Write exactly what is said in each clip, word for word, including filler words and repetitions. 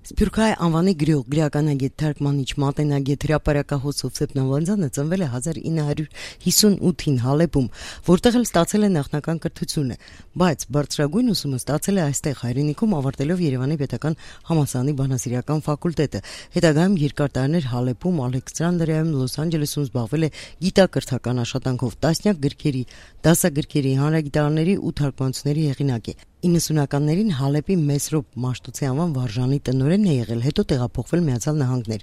Սփյուռքահայ անվանի գրող, գրականագետ, թարգմանիչ, մատենագետ, հրապարակախոս Հովսեփ Նալբանդյանը ծնվել է հազար ինը հարյուր հիսունութին Հալեբում, որտեղ էլ ստացել է նախնական կրթությունը, բայց բարձրագույն ուսումը ստացել է այստեղ հայրենիքում, ավարտելով Երևանի պետական համալսարանի բանասիրական ֆակուլտետը։ Հետագայում երկար տարիներ Հալեբում, Ալեքսանդրիայում, Լոս Անջելեսում զբաղվել է գիտակրթական աշխատանքով, տասնյակ գրքերի, դասագրքերի, հանրագիտարանների ու թարգմանությունների հեղինակ է։ իննսունականներին Հալեբի Մեսրոպ Մաշտոցի անվան վարժանի տնօրենն է եղել, հետո տեղափոխվել Միացյալ Նահանգներ։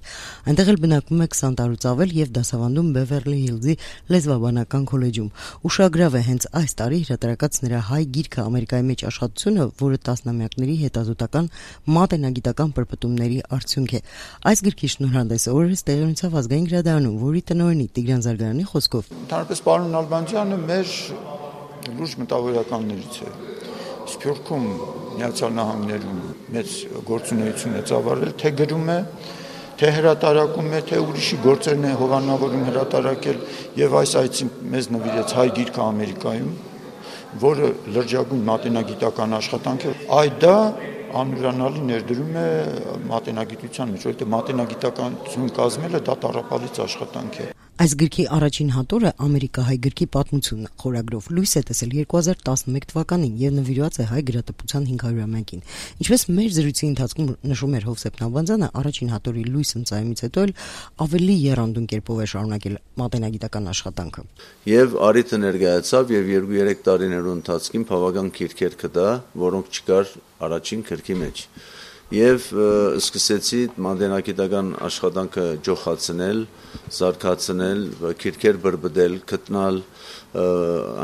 Այնտեղ էլ բնակվում է քսան տարուց ավել եւ դասավանդում Բևերլի Հիլզի լեզվաբանական քոլեջում։ Ուշագրավ է հենց այս տարի հրատարակած նրա հայ գիրքը Ամերիկայի մեջ աշխատությունը, որը տասնամյակների հետազոտական մատենագիտական պրպտումների արդյունք է։ Այս գրքի շնորհանդեսը օրերս տեղի ունեցավ Ազգային գրադարանում, որի տնօրենի Տիգրան Զարգարյանի խոսքով։ Ընդհանրապես պարոն Նալբանդյանը մեր լուրջ մտավորականներից է։ Սփյուռքում Միացյալ Նահանգներում մեծ գործունեություն է ծավալել, թե գրում է, թե հրատարակում է, թե ուրիշի գործերն է հովանավորում հրատարակել, եւ այս այցին մեզ նվիրեց հայ գիրքը Ամերիկայում, որը լրջագույն մատենագիտական աշխատանք է։ Այ դա անուրանալի ներդրում է մատենագիտության մեջ, որովհետեւ մատենագիտականություն կազմելը դա տառապալից աշխատանք է։ Այս գրքի առաջին հատորը Ամերիկահայ գրքի պատմությունն է, խորագրով լույս է տեսել երկու հազար տասնմեկ թվականին եւ նվիրված է հայ գրատպության հինգ հարյուրամյակին։ Ինչպես մեր զրույցի ընթացքում նշում էր Հովսեփ Նալբանդյանը, առաջին հատորի լույս ընծայումից հետո էլ ավելի եռանդուն կերպով է շարունակել մատենագիտական աշխատանքը։ Եվ արիթը ներկայացավ եւ երկու-երեք տարիներու ընթացքին բավական քիրքեր կդա, որոնք չկար առաջին գրքի մեջ։ Եվ սկսեցի մատենագիտական աշխատանքը ջոխացնել, զարգացնել, քիրքեր բրբդել, գտնել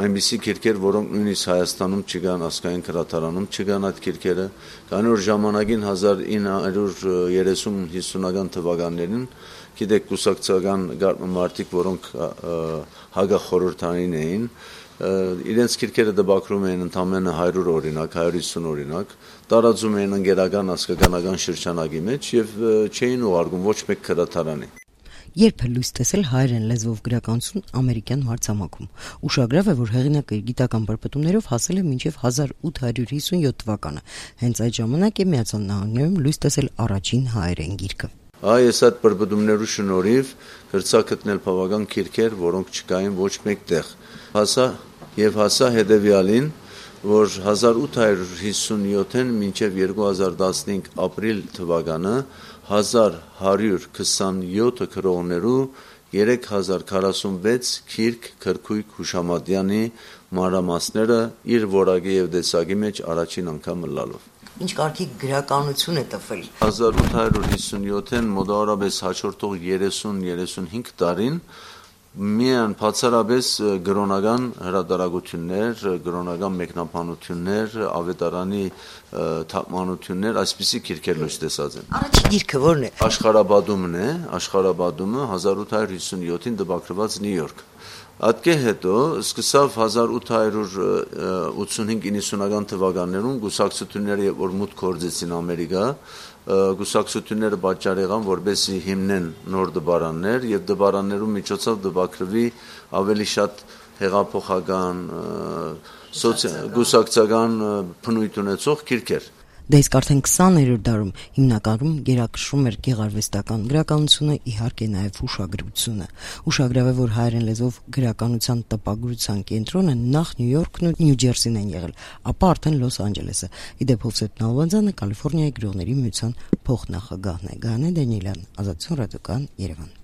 այնպիսի քիրքեր, որոնք նույնիսկ Հայաստանում չկան, ազգային գրադարանում չկան այդ քիրքերը։ Քանի որ ժամանակին հազար ինը հարյուր երեսուն հիսունական թվականներին, գիտեք, կուսակցական մարդիկ, որոնք հագախորհրդային էին, իրենց քիրքերը դպակրում էին ընդամենը հարյուր օրինակ, հարյուր հիսուն օրինակ, տարածում էին ընկերական ազգականական շրջանակի մեջ եւ չէին ուղարկում ոչ մեկ գրադարանի։ Երբ է լույս տեսել հայերեն լեզվով գրականություն ամերիկյան մարտամակում։ Ուշագրավ է, որ հեղինակը գիտական պրպտումներով հասել է մինչև հազար ութ հարյուր հիսունյոթ թվականը։ Հենց այդ ժամանակ է Միացյալ Նահանգներում լույս տեսել առաջին հայերեն գիրքը։ Այս այդ պրպտումներու շնորհիվ գրծա գտնել բավական քիրքեր, որոնք չկային ոչ մեկ տեղ։ Հասա եւ հասա հետեւյալին, որ հազար ութ հարյուր հիսունյոթին մինչև երկու հազար տասնհինգ ապրիլ թվականը հազար հարյուր քսանյոթ գրողներու երեք հազար քառասունվեց քիրք Քրքույկ Հուշամատյանի մանրամասները իր որակի եւ տեսակի մեջ առաջին անգամ լալով։ Ինչ կարգի գրականություն է տվել։ հազար ութ հարյուր հիսունյոթին մոտավորապես հաջորդող երեսուն երեսունհինգ տարին միայն բացառապես գրոնական հրատարակություններ, գրոնական մեկնաբանություններ, ավետարանի թարգմանություններ, այսպիսի քիրքեր լույս տեսած են։ Առաջին գիրքը ո՞րն է։ Աշխարհաբադումն է, Աշխարհաբադումը հազար ութ հարյուր հիսունյոթին դպակրված Նյու Յորք։ Ատկե հետո սկսավ հազար ութ հարյուր ութսունհինգ իննսունական թվականներում գուսակցությունները որ մուտք գործեցին Ամերիկա, գուսակցությունները պատճառ եղան, որպեսզի հիմնեն նոր դպարաններ եւ դպարաններու միջոցով դպակրվի ավելի շատ հեղափոխական, գուսակցական բնույթ ունեցող քիրքեր։ Դա իսկ արդեն քսաներորդ դարում հիմնականում գերակշռում էր գեղարվեստական գրականությունը, իհարկե նաև հուշագրությունը։ Ուշագրավ է, որ հայերեն լեզվով գրականության տպագրության կենտրոնը նախ Նյու Յորքն ու Նյու Ջերսին են եղել, ապա արդեն Լոս Անջելեսը։ Իդեպ Հովսեփ Նալբանդյանը Կալիֆոռնիայի գրողների միության փոխնախագահն է։ Գայանե Դանիելյան, Ազատություն ռադիոկայան, Երևան։